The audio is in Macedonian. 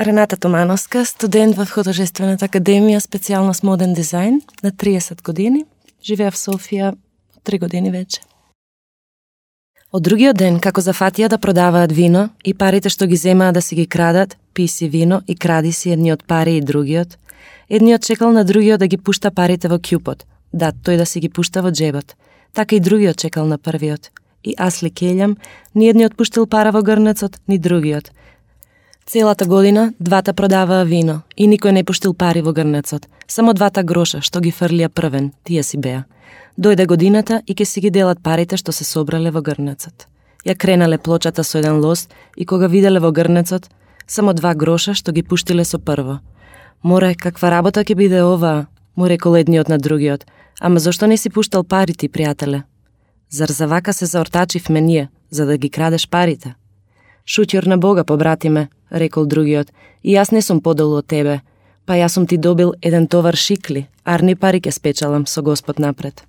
Рената Томановска, студент во Художествената академија, специјалност моден дизајн, на 30 години. Живеа в Софија 3 години веќе. Од другиот ден, како зафатија да продаваат вино и парите што ги земаа да си ги крадат, пи си вино и кради си едниот пари и другиот, едниот чекал на другиот да ги пушта парите во кјупот, да тој да си ги пушта во джебот. Така и другиот чекал на првиот. И аз ли кељам, ни едниот пуштил пара во грнецот, ни другиот. Целата година двата продаваа вино и никој не пуштил пари во грнецот. Само 2 гроша што ги фрлија првен, тие си беа. Дојде годината и ке си ги делат парите што се собрале во грнецот. Ја кренале плочата со еден лост и кога виделе во грнецот, само 2 гроша што ги пуштиле со прво. Море, каква работа ќе биде оваа, му рекол едниот на другиот. Ама зошто не си пуштал пари ти, пријателе? Зар за вака се заортачивме ние, за да ги крадеш парите? Шутјор на Бога, побратиме, рекол другиот, и јас не сум подолу од тебе, па јас сум ти добил еден товар шикли, арни пари ке спечалам со Господ напред.